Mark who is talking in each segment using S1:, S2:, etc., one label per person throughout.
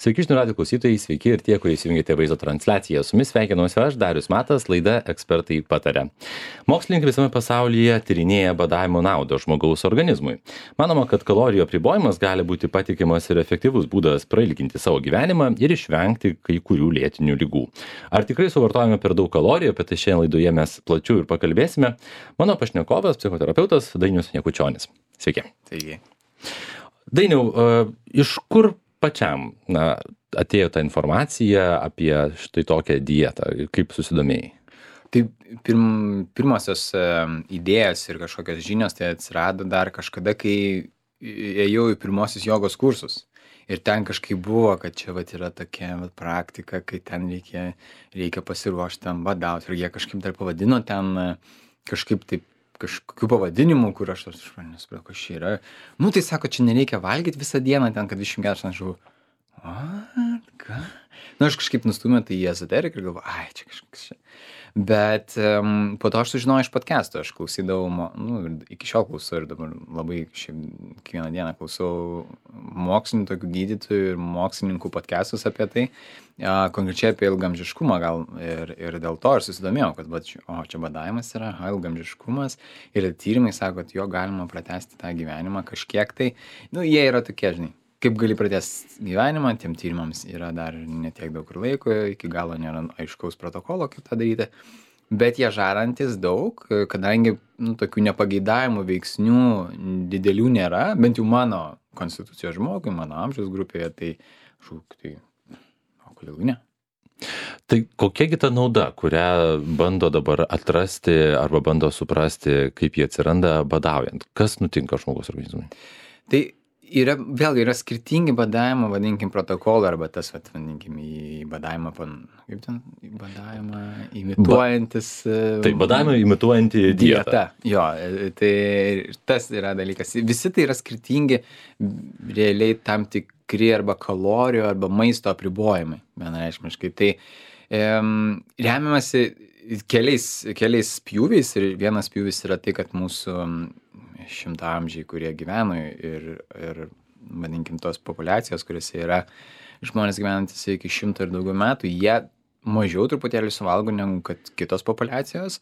S1: Sveiki, žinių radijo klausytojai, sveiki ir tie, kurie įsijungėte vaizdo transliaciją. Su jumis sveikinuosi aš, Darius Matas, laida Ekspertai pataria. Mokslininkai visame pasaulyje tyrinėja badavimo naudą žmogaus organizmui. Manoma, kad kalorijų apribojimas gali būti patikimas ir efektyvus būdas prailginti savo gyvenimą ir išvengti kai kurių lėtinių ligų. Ar tikrai suvartojame per daug kalorijų, apie tai šiandien laidoje mes plačiau ir pakalbėsime. Mano pašnekovas, psichoterapeutas Dainius Jakučionis. Sveiki.
S2: Taigi.
S1: Dainiau, iš kur pačiam atėjo ta informacija apie štai tokią dietą, kaip susidomėjai?
S2: Tai pirmosios idėjos ir kažkokios žinios tai atsirado dar kažkada, kai ėjau į pirmosius jogos kursus. Ir ten kažkaip buvo, kad čia yra tokia praktika, kai ten reikia pasiruošti tam badauti. Ir jie kažkaip dar pavadino ten kažkaip taip, kažkokių pavadinimų, kur aš nesupratau, kas čia yra. Nu, tai sako, čia nereikia valgyti visą dieną ten, kad 24 aš žinau, ką? Nu, aš kažkaip nustūmiau tai į ezoteriką ir galvoju, ai, čia kažkas čia. Bet po to aš sužinojau iš podcast'o, aš klausydavau, iki šiol klausau ir dabar labai kiekvieną dieną klausau mokslinių tokių gydytojų ir mokslininkų podcast'us apie tai, konkrečiai apie ilgaamžiškumą gal ir dėl to aš susidomėjau, kad čia badavimas yra, ilgaamžiškumas ir tyrimai sako, kad jo galima pratęsti tą gyvenimą kažkiek tai, jie yra tokie, žinai. Kaip gali pratęsti gyvenimą, tiem tyrimams yra dar netiek daug ir laiko, iki galo nėra aiškaus protokolo, kaip tą daryti, bet jie žarantis daug, kadangi tokių nepageidavimų veiksnių didelių nėra, bent jau mano konstitucijos žmogui, mano amžiaus grupėje, kodėl ne?
S1: Tai kokiagi ta nauda, kurią bando dabar atrasti arba bando suprasti, kaip jie atsiranda badaujant? Kas nutinka žmogaus organizmui?
S2: Tai vėlgi yra skirtingi badavimo, vadinkim, protokolai arba tas, vadinkim, į badavimą, kaip ten, į badavimą imituojantis.
S1: Tai badavimą imituojanti dieta.
S2: Jo, tai tas yra dalykas. Visi tai yra skirtingi, realiai tam tikri arba kalorijų arba maisto apribojimai, vienareikšmiškai. Tai remiamasi keliais pjūviais ir vienas pjūvis yra tai, kad mūsų šimtaamžiai, kurie gyveno ir vadinkim, tos populiacijos, kuriuose yra žmonės gyvenantis iki 100 ir daugiau metų, jie mažiau truputėlį suvalgo negu kad kitos populiacijos,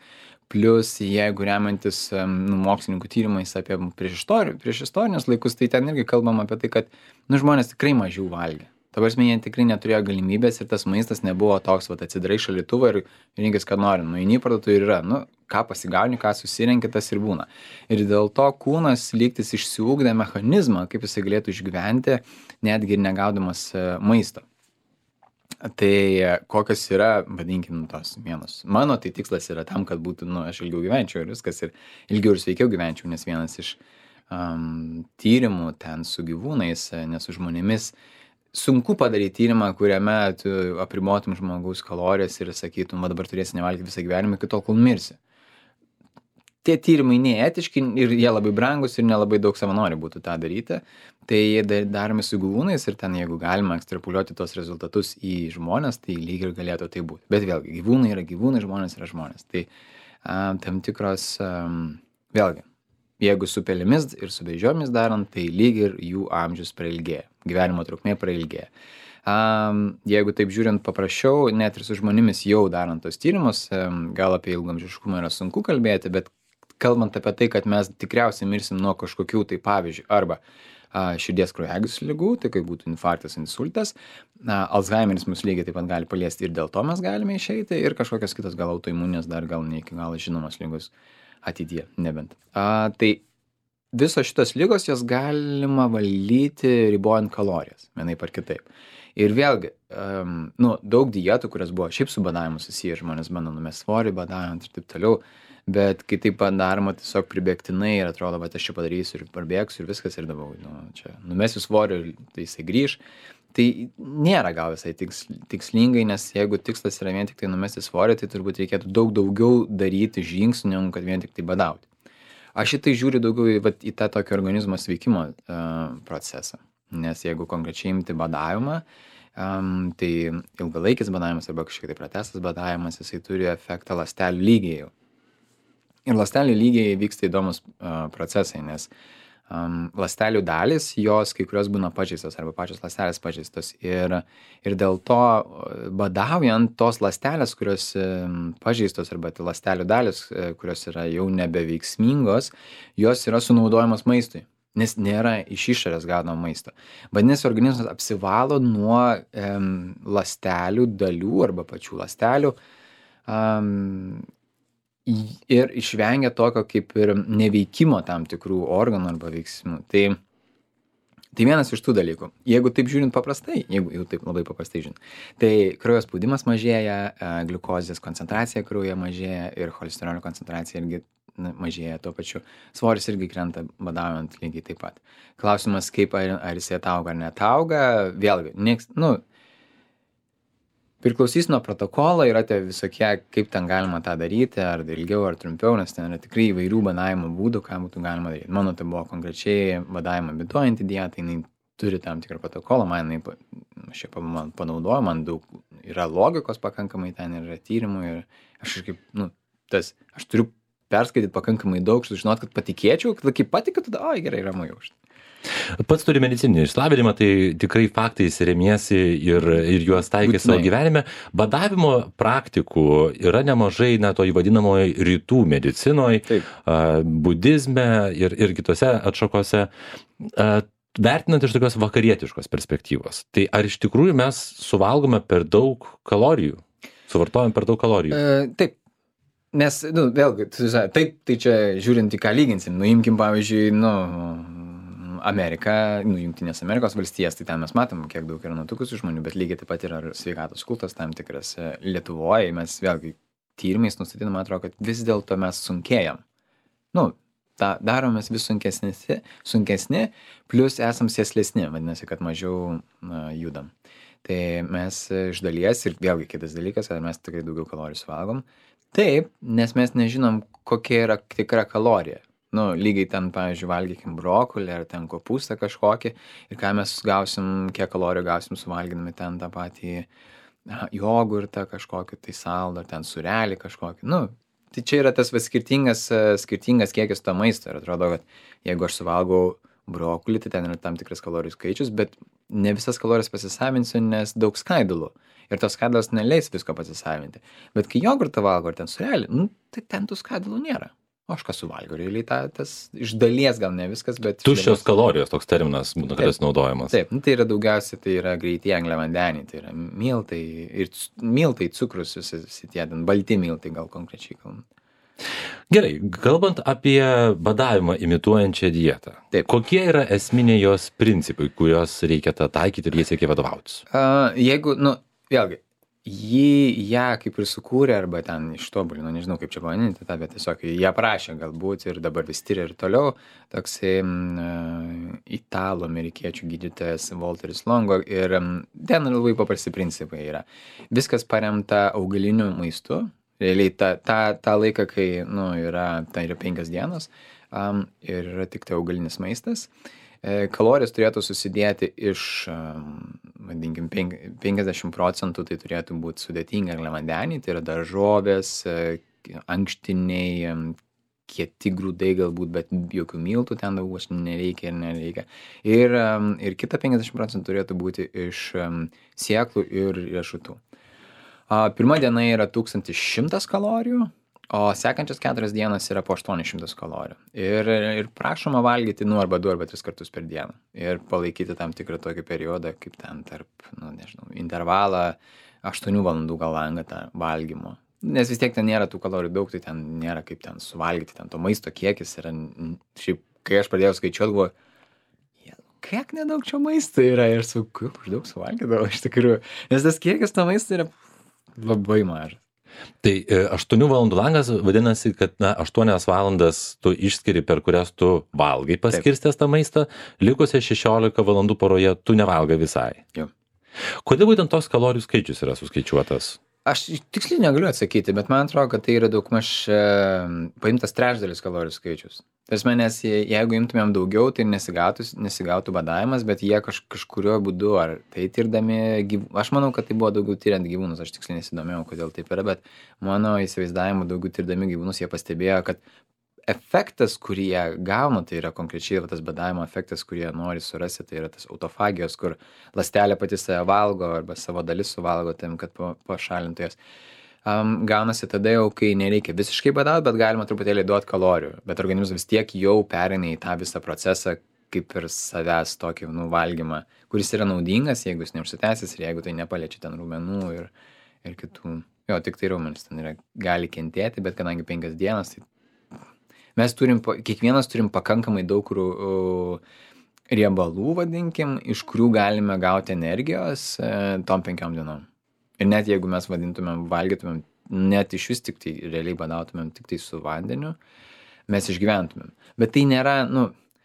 S2: plus jeigu remiantis mokslininkų tyrimais apie priešistorinius laikus, tai ten irgi kalbam apie tai, kad žmonės tikrai mažiau valgė. Ta prasme, jie tikrai neturėjo galimybės ir tas maistas nebuvo toks, atsidarai šaldytuvą ir rinkis, ką nori. Eini į parduotuvę ir yra, ką pasigauni, ką susirenki, tas ir būna. Ir dėl to kūnas lygtis išsiugdė mechanizmą, kaip jisai galėtų išgyventi, netgi ir negaudamas maisto. Tai kokios yra, vadinkim, tos vienos. Mano tai tikslas yra tam, kad būtų, aš ilgiau gyvenčiau ir viskas, ir ilgiau ir sveikiau gyvenčiau, nes vienas iš tyrimų ten su gyvūnais, ne su žmonėmis, sunku padaryti tyrimą, kuriame tu apribotum žmogaus kalorijas ir sakytum, dabar turėsi nevalgyti visą gyvenimą iki tol, kol mirsi. Tie tyrimai neetiški ir jie labai brangus ir nelabai daug savanorių būtų tą daryti. Tai jie daromi su gyvūnais ir ten, jeigu galima ekstrapoliuoti tos rezultatus į žmonės, tai lyg ir galėtų tai būti. Bet vėlgi, gyvūnai yra gyvūnai, žmonės yra žmonės. Tai tam tikros, vėlgi, jeigu su pelėmis ir su beždžionėmis darant, tai lyg ir jų amžius prailgėja, gyvenimo trukmė prailgėja. Jeigu taip žiūrint paprasčiau, net ir su žmonėmis jau darant tos tyrimus, gal apie ilgaamžiškumą yra sunku kalbėti, bet kalbant apie tai, kad mes tikriausiai mirsim nuo kažkokių tai pavyzdžių, arba širdies kraujagyslių ligų, tai kaip būtų infarktas, insultas, Alzheimeris mus lygiai taip pat gali paliesti ir dėl to mes galime išeiti, ir kažkokios kitos gal autoimunės dar gal ne iki galo žinomos ligos ateityje, nebent. Tai visos šitos ligos, jos galima valdyti ribojant kalorijas, vienaip ar kitaip. Ir vėlgi, daug dietų, kurios buvo šiaip su badavimu susiję, žmonės bando numesti svorį badaujant ir taip toliau, bet kai taip daroma tiesiog pribėgtinai ir atrodo, kad aš čia padarysiu ir parbėgsiu ir viskas ir dabar, čia numesiu svorį ir tai jisai grįž. Tai nėra gal visai tikslingai, nes jeigu tikslas yra vien tik tai numesti svorį, tai turbūt reikėtų daug daugiau daryti žingsnių, negu kad vien tik tai badauti. Aš šitai žiūriu daugiau į tą tokį organizmo sveikimo procesą, nes jeigu konkrečiai imti badavimą, tai ilgalaikis badavimas arba kažkiek tai pratęstas badavimas, jisai turi efektą ląstelių lygyje. Ir ląstelių lygyje vyksta įdomus procesai, nes ląstelių dalys, jos kai kurios būna pažeistos arba pačios ląstelės pažeistos. Ir dėl to badaujant tos ląstelės, kurios pažeistos arba tai ląstelių dalis, kurios yra jau nebeveiksmingos, jos yra sunaudojamos maistui, nes nėra iš išorės gaunamo maisto. Vadinasi, organizmas apsivalo nuo ląstelių dalių arba pačių ląstelių ir išvengia tokio kaip ir neveikimo tam tikrų organų arba veiksmų. Tai vienas iš tų dalykų. Jeigu taip žiūrint paprastai, jeigu jau taip labai paprastai žiūrint, tai kraujo spaudimas mažėja, gliukozės koncentracija kraujyje mažėja ir cholesterolio koncentracija irgi mažėja tuo pačiu. Svoris irgi krenta badaujant lygiai taip pat. Klausimas, kaip ar jisai atauga ar netauga, vėlgi, priklausys nuo protokolo, yra tie visokie, kaip ten galima tą daryti, ar ilgiau, ar trumpiau, nes ten yra tikrai įvairių badavimo būdų, ką būtų galima daryti. Mano tai buvo konkrečiai badavimą imituojanti dieta, jinai turi tam tikrą protokolą, aš ją panaudoju, man daug yra logikos pakankamai, ten yra tyrimų ir aš aš turiu perskaityti pakankamai daug, sužinot, kad patikėčiau, kad kai patikiu, tada, gerai, ramu jau.
S1: Pats turi medicininį išsilavinimą, tai tikrai faktais remiesi ir juos taikai savo gyvenime. Badavimo praktikų yra nemažai, to įvadinamoje rytų medicinoje, budizme ir kitose atšakose. Vertinant iš tokios vakarietiškos perspektyvos, tai ar iš tikrųjų mes suvalgome per daug kalorijų? Suvartojam per daug kalorijų?
S2: Taip. Nes, vėlgi, taip, tai čia žiūrint į ką lyginsim. Imkim, pavyzdžiui, Amerika, Jungtinės Amerikos valstijas, tai ten mes matom, kiek daug yra nutukusių žmonių, bet lygiai taip pat yra sveikatos kultas tam tikras. Lietuvoje mes vėlgi tyrimais nustatydami, man atrodo, kad vis dėlto mes sunkėjam. Daromės vis sunkesni, plus esam sėslesni, vadinasi, kad mažiau judam. Tai mes iš dalies, ir vėlgi kitas dalykas, ar mes tikrai daugiau kalorijų suvalgom. Taip, nes mes nežinom, kokia yra tikra kalorija. Lygiai ten, pavyzdžiui, valgykim brokolį ar ten kopūstą kažkokį ir ką mes gausim, kiek kalorijų gausim suvalgydami ten tą patį jogurtą kažkokį, tai saldą, ar ten surelį kažkokį. Tai čia yra tas skirtingas kiekis to maisto ir atrodo, kad jeigu aš suvalgau brokolį, tai ten yra tam tikras kalorijų skaičius, bet ne visas kalorijas pasisavinsiu, nes daug skaidulų. Ir tos skaidulos neleis visko pasisavinti. Bet kai jogurtą valgo ar ten surelį, tai ten tų skaidulų nėra. O aš ką suvalgiau, realiai tas iš dalies gal ne viskas, bet...
S1: Tuščios kalorijos toks terminas, kuris naudojamas.
S2: Taip, tai yra daugiausiai, tai yra greitieji angliavandeniai, tai yra miltai ir miltai, cukrus, visi tie, balti miltai gal konkrečiai kalbant.
S1: Gerai, kalbant apie badavimą imituojančią dietą, kokie yra esminiai jos principai, kuriuos reikia taikyti ir jais reikia vadovautis?
S2: Jeigu, vėlgi, ją kaip ir sukūrė arba ten ištobulino, nežinau kaip čia pavadinti tą, bet tiesiog ją prašė galbūt ir dabar vis tyria ir toliau, toksai italų amerikiečių gydytojas Walteris Longo ir ten labai paprasti principai yra. Viskas paremta augaliniu maistu, realiai tą laiką, kai yra 5 dienos ir yra tik tai augalinis maistas. Kalorijas turėtų susidėti iš, vadinkim, 50% tai turėtų būti sudėtingi angliavandeniai, tai yra daržovės, ankštiniai, kieti grūdai galbūt, bet jokių miltų ten daug nereikia ir nereikia. Ir kita 50% turėtų būti iš sėklų ir riešutų. Pirma diena yra 1100 kalorijų, o sekančias 4 dienas yra po 800 kalorijų. Ir prašoma valgyti arba 2 arba 3 kartus per dieną. Ir palaikyti tam tikrą tokį periodą, kaip ten tarp, intervalą 8 valandų gal langą tą valgymo. Nes vis tiek ten nėra tų kalorijų daug, tai ten nėra kaip ten suvalgyti, ten to maisto kiekis yra, šiaip, kai aš pradėjau skaičiuoti, buvo, kiek nedaug čia maisto yra ir kaip aš daug suvalgydavau iš tikrųjų. Nes tas kiekis to maisto yra labai mažas.
S1: Tai 8 valandų langas vadinasi, kad 8 valandas tu išskiri, per kurias tu valgai paskirstęs tą maistą, likusią 16 valandų poroje tu nevalgai visai.
S2: Jau.
S1: Kodėl būtent toks kalorijų skaičius yra suskaičiuotas?
S2: Aš tiksliai negaliu atsakyti, bet man atrodo, kad tai yra daugmaž paimtas trečdalis kalorijų skaičius. Nes jeigu imtumėm daugiau, tai nesigautų badavimas, bet jie kažkurio būdu, ar tai tirdami, aš manau, kad tai buvo daugiau tyriant gyvūnus, aš tiksliai nesidomėjau, kodėl taip yra, bet mano įsivaizdavimu daugiau tirdami gyvūnus, jie pastebėjo, kad efektas, kurį jie gauna, tai yra konkrečiai tas badavimo efektas, kurį jie nori surasti, tai yra tas autofagijos, kur ląstelė pati save valgo arba savo dalis suvalgo tam, kad pašalintų jas. Gaunasi tada jau, kai nereikia visiškai badauti, bet galima truputėlį duoti kalorijų, bet organizmas vis tiek jau pereina į tą visą procesą, kaip ir savęs tokį valgymą, kuris yra naudingas, jeigu jis neužsitęsis ir jeigu tai nepaliečia ten raumenų ir kitų. Jo, tik tai raumenis ten gali kentėti, bet kadangi 5 dienas, tai mes kiekvienas turim pakankamai daug riebalų, vadinkim, iš kurių galime gauti energijos tom 5 dienom. Ir net jeigu mes valgytumėm, net iš vis tik tai realiai badautumėm tik tai su vandeniu, mes išgyventumėm. Bet tai nėra,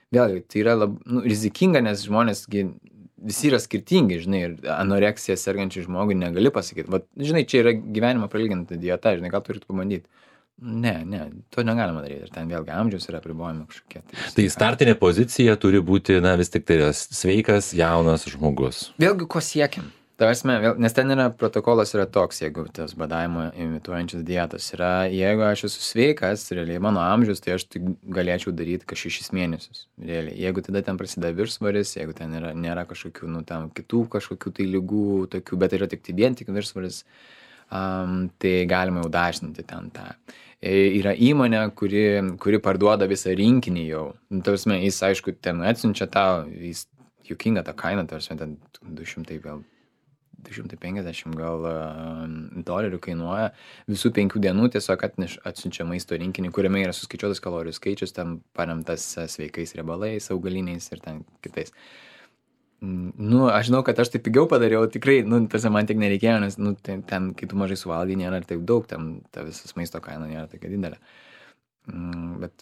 S2: vėlgi, tai yra rizikinga, nes žmonės visi yra skirtingi, žinai, ir anoreksija sergančiai žmogui negali pasakyti. Vat, žinai, čia yra gyvenimo prailginta dieta, žinai, gal turit pabandyti. Ne, to negalima daryti. Ir ten vėlgi amžiaus yra apribojami kažkokie.
S1: Tai startinė pozicija turi būti, vis tik tai sveikas, jaunas žmogus.
S2: Vėlgi, ko siekiam? Nes ten protokolas yra toks, jeigu tas badavimo imituojančias dietos yra, jeigu aš esu sveikas, realiai mano amžius, tai aš galėčiau daryti 6 mėnesius. Realiai. Jeigu tada ten prasideda viršsvoris, jeigu ten nėra kažkokių, ten kitų kažkokių tai ligų, tokių, bet yra tik vien tik viršsvoris, tai galima jau dažninti ten tą. Yra įmonė, kuri parduoda visą rinkinį jau. Tarsime, jis, aišku, ten atsiunčia tau, jis juokinga ta kaina, tarsime, ten 250 gal dolerių kainuoja. Visų 5 dienų tiesiog atsiunčia maisto rinkinį, kuriame yra suskaičiuotas kalorijų skaičius, ten paremtas sveikais riebalais, augaliniais ir ten kitais. Aš žinau, kad aš tai pigiau padariau, tikrai, man tik nereikėjo, nes ten, kai tu mažai suvalgai, nėra taip daug, ten ta visas maisto kaina nėra tokia didelė. Bet...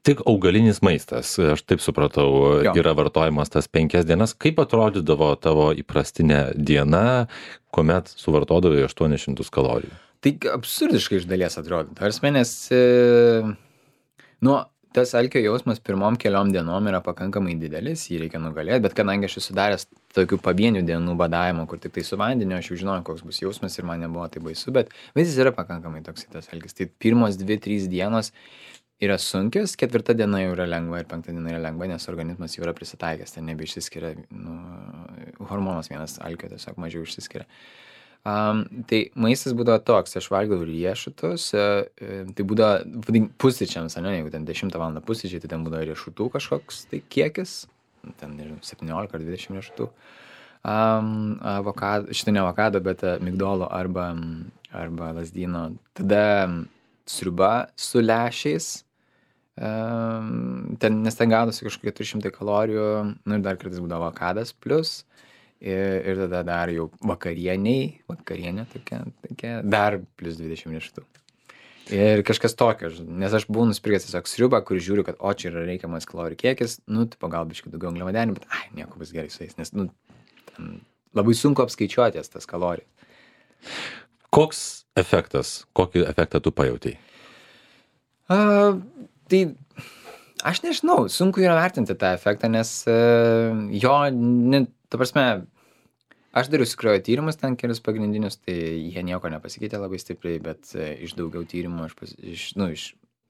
S1: Tik augalinis maistas, aš taip supratau, yra vartojimas tas 5 dienas. Kaip atrodydavo tavo įprastinė diena, kuomet suvartodavai 800 kalorijų?
S2: Tai absurdiškai iš dalies atrodo. Nes tas alkio jausmas pirmom keliom dienom yra pakankamai didelis, jį reikia nugalėti, bet kadangi aš esu daręs tokių pavienių dienų badavimo, kur tik tai su vandeniu, aš jau žinojau, koks bus jausmas ir man nebuvo tai baisu, bet jis yra pakankamai toks tas alkis. Tai pirmos 2-3 dienos yra sunkios, 4 diena jau yra lengva ir 5 diena yra lengva, nes organizmas jau yra prisitaikęs, ten nebeišsiskiria, hormonas vienas alkio tiesiog mažiau išsiskiria. Tai maistas būdavo toks, aš valgiau riešutus, tai būdavo pusryčiams, jeigu ten 10 valandą pusryčiai, tai ten būdavo riešutų kažkoks tai kiekis, ten 17 ar 20 riešutų, šitą ne avokado, bet migdolo arba lazdyno, tada sriuba su lęšiais, nes ten gaudosi kažkokie 300 kalorijų, ir dar kartais būdavo avokadas plus, ir tada dar jau vakarienė tokia, dar plus 20 riešutų. Ir kažkas tokio, nes aš buvau nusipirkęs tiesiog sriubą, kur žiūriu, kad čia yra reikiamas kalorijų kiekis, gal biškai daugiau angliavandenių, bet nieko bus gerai su jais, nes ten labai sunku apskaičiuoti tas kalorijas.
S1: Kokį efektą tu pajautei?
S2: Tai aš nežinau, sunku yra vertinti tą efektą, nes ta prasme, aš dariau kraujo tyrimus ten kelius pagrindinius, tai jie nieko nepasikeitė labai stipriai, bet iš daugiau tyrimų, iš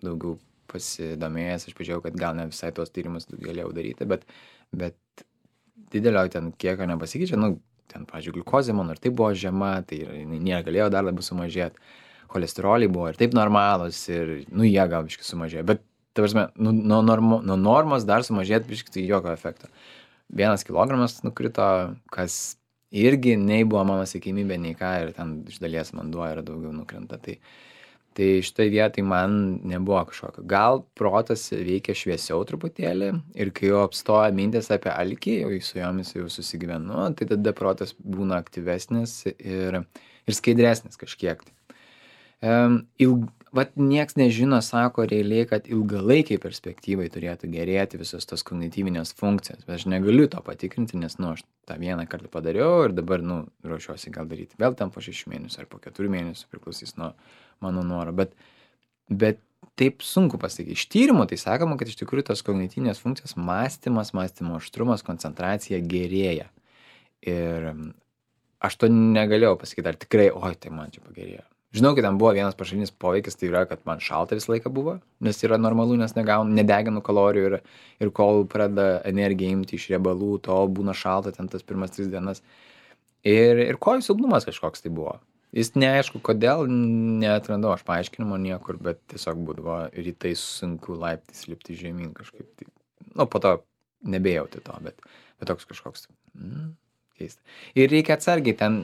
S2: daugiau pasidomėjęs, aš pažiūrėjau, kad gal ne visai tuos tyrimus galėjau daryti, bet didelio ten kiekio nepasikeičia, ten, pavyzdžiui, gliukozė mano ir taip buvo žema, tai negalėjo dar labiau sumažėti, cholesteroliai buvo ir taip normalus ir, jie gal biškai sumažėjo, bet, ta prasme, nuo normos dar sumažėti biškai tai jokio efekto. 1 kilogramas nukrito, kas irgi nei buvo mano siekiamybė, nei ką, ir ten iš dalies vanduo yra daugiau nukrenta. Tai šitoj vietoj man nebuvo kažkokio. Gal protas veikia šviesiau truputėlį ir kai jau apstoja mintis apie alkį, jau su jomis jau susigyvenu, tai tada protas būna aktyvesnis ir skaidresnis kažkiek. Nieks nežino, sako realiai, kad ilgalaikiai perspektyvai turėtų gerėti visos tos kognityvinės funkcijos, bet aš negaliu to patikrinti, nes, aš tą vieną kartą padariau ir dabar, ruošiuosi gal daryti vėl ten po 6 mėnesių ar po 4 mėnesių, priklausys nuo mano noro, bet taip sunku pasakyti. Iš tyrimų tai sakoma, kad iš tikrųjų tos kognityvinės funkcijos mąstymas, mąstymo aštrumas, koncentracija gerėja. Ir aš to negalėjau pasakyti, ar tikrai, tai man čia pagerėjo. Žinau, kad ten buvo vienas pašalinis poveikis, tai yra, kad man šalta visą laiką buvo, nes yra normalu, nes nedeginu kalorijų ir kol pradeda energiją imti iš riebalų, tol būna šalta ten tas pirmas 3 dienas. Ir kojų silpnumas kažkoks tai buvo. Jis neaišku, kodėl, neatrandau aš paaiškinimo niekur, bet tiesiog būdavo rytais sunku laiptais lipti žemyn kažkaip. Tai, nu, po to nebejauti to, bet toks kažkoks. Keista. Ir reikia atsargiai, ten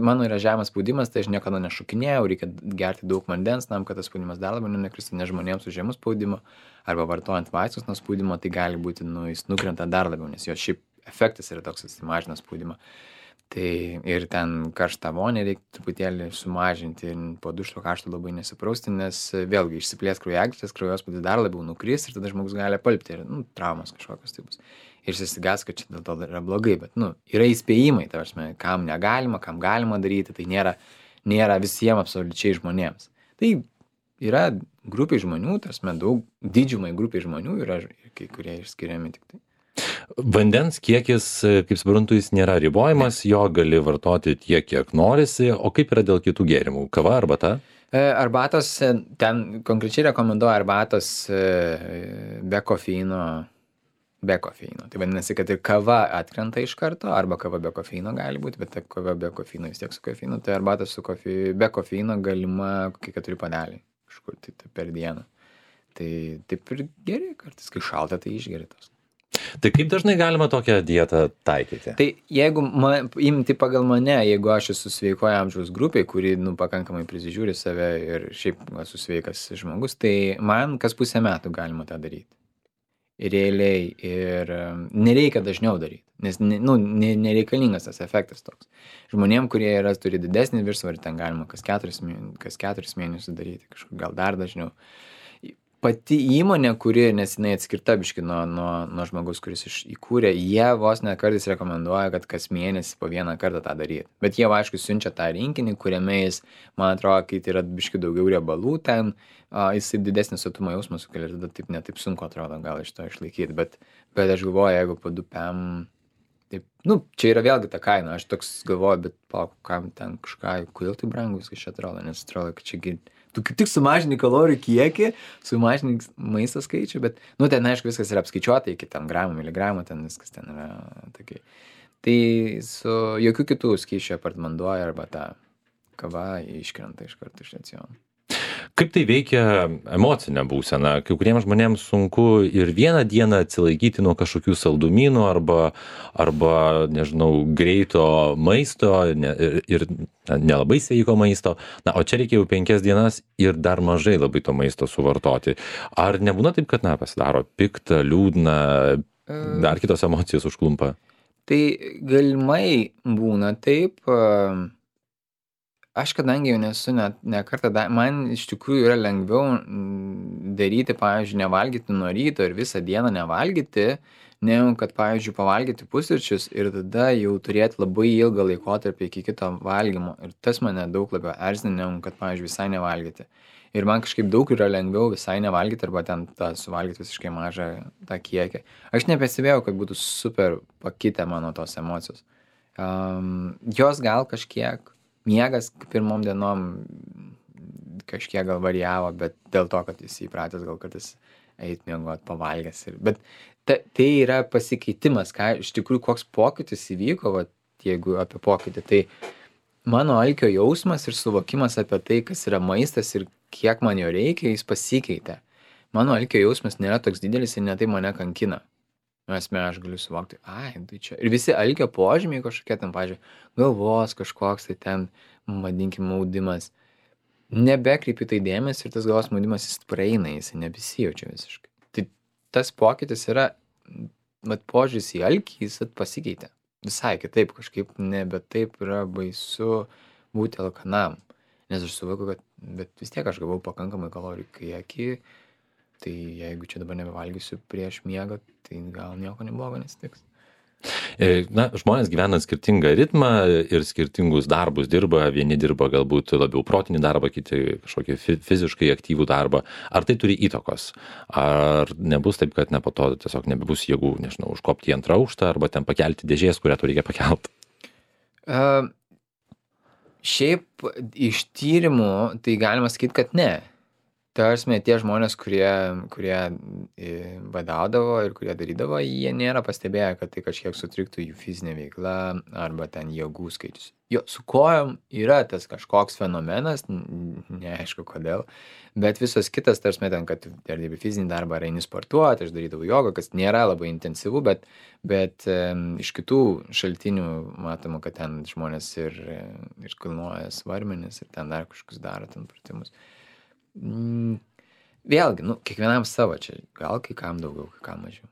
S2: mano yra žemas spaudimas, tai aš niekada nešokinėjau, reikia gerti daug vandens, tam, kad tas spaudimas dar labiau nekristų, nes žmonėms su žemu spaudimu arba vartojant vaistus nuo spaudimo, tai gali būti, jis nukrenta dar labiau, nes jo šiaip efektas yra toks, jis mažina spaudimą. Tai ir ten karštą vonę reikia truputėlį sumažinti ir po dušo karšto labai nesiprausti, nes vėlgi išsiplės kraujagyslės, kraujospūdis dar labiau nukris ir tada žmogus gali apalpti ir traumas kažkokios tai bus. Ir susigas, kad čia dėl to yra blogai, bet, yra įspėjimai, ta prasme, kam negalima, kam galima daryti, tai nėra visiems absoliučiai žmonėms. Tai yra grupiai žmonių, ta prasme, daug didžiumai grupiai žmonių yra kai kurie išskiriami tik tai.
S1: Vandens kiekis, kaip suprantu, jis nėra ribojamas, jo gali vartoti tiek, kiek norisi, o kaip yra dėl kitų gėrimų? Kava, arbata?
S2: Arbatos, ten konkrečiai rekomenduoju arbatos be kofeino. Be kofeino. Tai vadinasi, kad ir kava atkrenta iš karto, arba kava be kofeino gali būti, bet ta kava be kofeino vis tiek su kofeinu, tai arbatas be kofeino galima kokie 4 puodeliai kažkur tai per dieną. Tai taip ir geri, kartais kai šalta, tai išgeri tos.
S1: Tai kaip dažnai galima tokią dietą taikyti?
S2: Tai jeigu imti pagal mane, jeigu aš esu sveikoje amžiaus grupiai, kuri pakankamai prisižiūri save ir šiaip esu sveikas žmogus, tai man kas pusę metų galima tą daryti. Realiai ir nereikia dažniau daryti, nes nereikalingas tas efektas toks. Žmonėm, kurie turi didesnį viršsvorį, ten galima kas 4 mėnesius daryti, kažkur gal dar dažniau. Pati įmonė, kuri nesinai atskirta biški nuo žmogus, kuris įkūrė, jie vos ne kartais rekomenduoja, kad kas mėnesį po vieną kartą tą daryti. Bet jie, aišku, siunčia tą rinkinį, kuriame jis, man atrodo, kai tai yra biški daugiau riebalų ten, jisai didesnį sotumo jausmą sukelia ir tada netaip sunku atrodo gal iš to išlaikyti. Bet aš galvoju, jeigu po 2 PM, taip, čia yra vėlgi ta kaina. Aš toks galvoju, bet kam ten kažką, kodėl tai brangu viskas čia atrodo, nes atrodo, kad čia tu kaip tik sumažini kalorijų kiekį, sumažini maisto skaičių, bet, ten, aišku, viskas yra apskaičiuota iki ten gramų, miligramų, ten viskas ten yra tokiai. Tai su jokių kitų skysčių apart vanduo arba ta kava iškrenta iš karto iš raciono.
S1: Kaip tai veikia emocinę būseną? Kai kuriems žmonėms sunku ir vieną dieną atsilaikyti nuo kažkokių saldumynų arba nežinau, greito maisto ir nelabai sveiko maisto. O čia reikia jau 5 dienas ir dar mažai labai to maisto suvartoti. Ar nebūna taip, kad pasidaro pikta, liūdna, dar kitos emocijos užklumpa?
S2: Tai galimai būna taip. Aš kadangi jau nesu ne kartą, man iš tikrųjų yra lengviau daryti, pavyzdžiui, nevalgyti nuo ryto ir visą dieną nevalgyti, negu kad, pavyzdžiui, pavalgyti pusryčius ir tada jau turėti labai ilgą laikotarpį iki kito valgymo. Ir tas mane daug labiau erzina, negu kad, pavyzdžiui, visai nevalgyti. Ir man kažkaip daug yra lengviau visai nevalgyti arba ten suvalgyti visiškai mažą tą kiekį. Aš nepastebėjau, kad būtų super pakitę mano tos emocijos. Jos gal kažkiek miegas pirmom dienom kažkiek gal varijavo, bet dėl to, kad jis įpratęs gal kartais eit miegot pavalgęs. Bet tai yra pasikeitimas, iš tikrųjų koks pokytis įvyko, jeigu apie pokytį, tai mano alkio jausmas ir suvokimas apie tai, kas yra maistas ir kiek man jo reikia, jis pasikeitė. Mano alkio jausmas nėra toks didelis ir netai mane kankina. Aš galiu suvokti, tai čia. Ir visi alkio požymiai kažkokie ten, pavyzdžiui, galvos kažkoks, tai ten, vadinkim, maudimas. Nebekreipi tai dėmesį ir tas galvos maudimas jis praeina, jis nebesijaučia visiškai. Tai tas pokytis yra, požiūris į alkį, jis pasikeitė. Visai kitaip, kažkaip nebe taip yra baisu būti alkanam. Nes aš suvokiu, kad bet vis tiek aš gavau pakankamai kalorijų kiekį. Tai jeigu čia dabar nebevalgysiu prieš miegą, tai gal nieko neblogo nesitiks.
S1: Žmonės gyvena skirtingą ritmą ir skirtingus darbus dirba. Vieni dirba galbūt labiau protinį darbą, kiti kažkokį fiziškai aktyvų darbą. Ar tai turi įtakos? Ar nebus taip, kad po to tiesiog nebebus jėgų, nežinau, užkopti į 2 aukštą arba ten pakelti dėžės, kurią tu reikia pakelti?
S2: Šiaip iš tyrimų tai galima sakyti, kad ne. Tarsi tie žmonės, kurie badaudavo ir kurie darydavo, jie nėra pastebėję, kad tai kažkiek sutriktų jų fizinė veikla arba ten jėgų skaičius. Jo, su kojom yra tas kažkoks fenomenas, neaišku kodėl, bet visos kitas, tarsi ten, kad ar dirbi fizinį darbą, ar eini sportuoti, aš darydavau jogą, kas nėra labai intensyvu, bet iš kitų šaltinių matoma, kad ten žmonės ir kilnoja svarmenis ir ten dar kažkokius daro ten pratimus. Vėlgi, kiekvienam savo čia, gal kai kam daugiau, kai kam mažiau.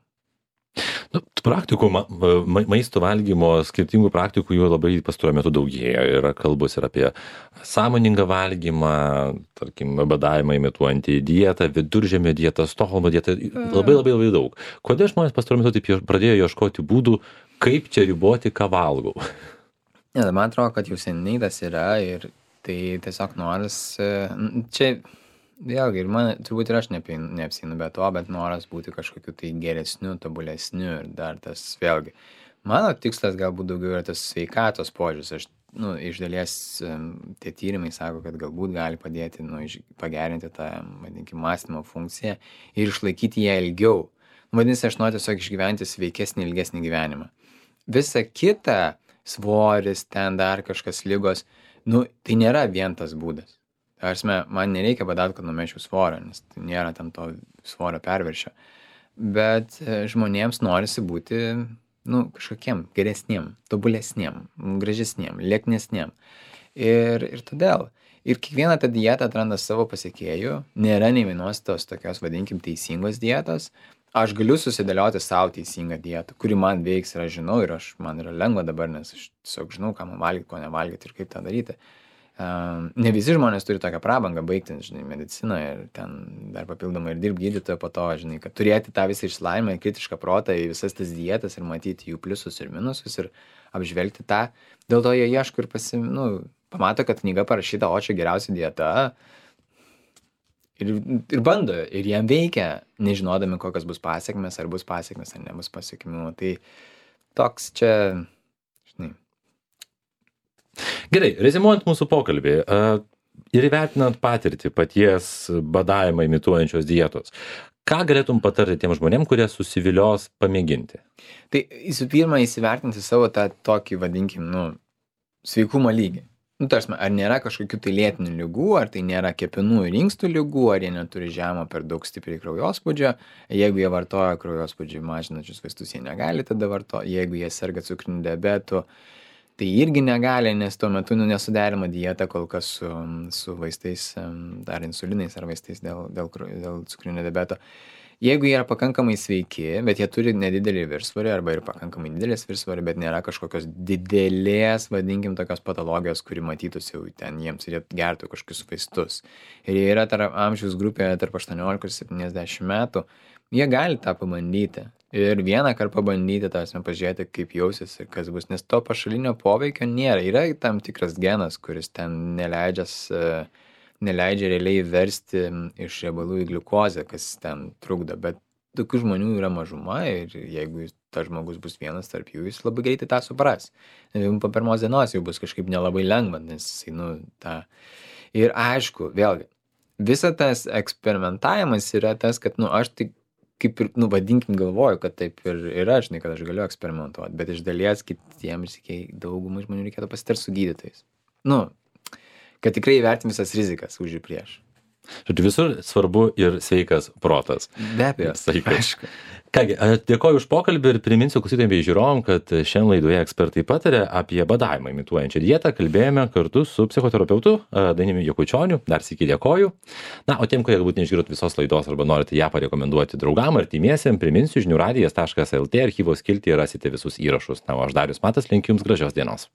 S1: Praktikų, maisto valgymo, skirtingų praktikų jų labai pastaruoju metu daugėja. Yra kalbos ir apie sąmoningą valgymą, tarkim, badavimą imituojantį dietą, viduržemio dietą, Stokholmo dietą, labai daug. Kodėl žmonės pastaruoju metu taip pradėjo ieškoti būdų, kaip čia riboti, ką valgau?
S2: Ne, man atrodo, kad jau seniai tas yra ir tai tiesiog noras, čia vėlgi, ir man, turbūt ir aš neapsinu be to, bet noras būti kažkokiu tai geresniu, tobulesniu ir dar tas, vėlgi, mano tikslas galbūt daugiau yra tas sveikatos požiūris. Aš, iš dalies tie tyrimai sako, kad galbūt gali padėti, pagerinti tą, vadinkim, mąstymo funkciją ir išlaikyti ją ilgiau. Vadinasi, aš noriu tiesiog išgyventi sveikesnį, ilgesnį gyvenimą. Visa kita, svoris, ten dar kažkas ligos, tai nėra vien tas būdas. Man nereikia badauti, kad numečiau svorio, nes tai nėra ten to svorio perviršio. Bet žmonėms norisi būti, kažkokiem geresniem, tobulesniem, gražesniem, lieknesniem. Ir todėl. Ir kiekviena ta dieta atranda savo pasekėjų. Nėra nei vienos tos tokios, vadinkim, teisingos dietos. Aš galiu susidėlioti savo teisingą dietą, kuri man veiks ir aš žinau, ir man yra lengva dabar, nes aš tiesiog žinau, ką man valgyti, ko nevalgyti ir kaip tą daryti. Ne visi žmonės turi tokią prabangą baigti, mediciną ir ten dar papildomai ir dirbti gydytojo po to, kad turėti tą visą išsilavinimą, kritišką protą į visas tas dietas ir matyti jų pliusus ir minusus ir apžvelgti tą. Dėl to jie ieško ir pamato, kad knyga parašyta, o čia geriausia dieta ir bando, ir jiem veikia, nežinodami, kokios bus pasiekmes, ar bus pasiekmes, ar nebus pasiekmių. Tai toks čia,
S1: Gerai, rezimuojant mūsų pokalbį ir įvertinant patirtį paties badavimą imituojančios dietos, ką galėtum patarti tiem žmonėm, kurie susivilios pamėginti?
S2: Tai visų pirma, įsivertinti savo tą tokį, vadinkim, sveikumo lygį. Ar nėra kažkokių tai lėtinių ligų, ar tai nėra kepenų ir inkstų ligų, ar jie neturi žemo per daug stipriai kraujospūdžio. Jeigu jie vartoja kraujospūdžiui mažinančius vaistus, jie negali tada vartoti. Jeigu jie serga cukriniu diabetu, tai irgi negali, nes tuo metu nesuderima dieta kol kas su vaistais, ar insulinais, ar vaistais dėl cukrinio diabeto. Jeigu jie yra pakankamai sveiki, bet jie turi nedidelį viršsvorį arba ir pakankamai didelės viršsvorį, bet nėra kažkokios didelės, vadinkim, tokios patologijos, kuri matytųsi jau ten jiems ir jie gertų kažkokius vaistus. Ir jie yra amžiaus grupėje tarp 18 ir 70 metų, jie gali tą pabandyti. Ir vieną kartą pabandyti, pažiūrėti, kaip jausis ir kas bus, nes to pašalinio poveikio nėra. Yra tam tikras genas, kuris ten neleidžia realiai versti iš riebalų į gliukozę, kas ten trukdo, bet tokių žmonių yra mažuma ir jeigu tas žmogus bus vienas tarp jų, jis labai greitai tą supras. Po pirmos dienos jau bus kažkaip nelabai lengva, nes jisai, Ir aišku, vėlgi, visa tas eksperimentavimas yra tas, kad, aš tik kaip ir, vadinkim, galvoju, kad taip ir yra, kad aš galiu eksperimentuoti, bet iš dalies kitiems daugumai žmonių reikėtų pasitarti su gydytojais. Kad tikrai įvertim visas rizikas už ir prieš.
S1: Žodžiu, visur svarbu ir sveikas protas.
S2: Be abejo, aišku.
S1: Kągi, dėkoju už pokalbį ir priminsiu klausytojams bei žiūrovam, kad šiandien laidoje ekspertai pataria apie badavimą imituojančią dietą. Kalbėjome kartu su psichoterapeutu Dainiumi Jakučioniu. Dar sykį dėkoju. O tiem, kurie galbūt neišgirdot visos laidos arba norite ją parekomenduoti draugam ar artimiesiem, priminsiu žiniųradijas.lt archyvos skiltyje rasite visus įrašus. O aš Darius Matas linkiu jums gražios dienos.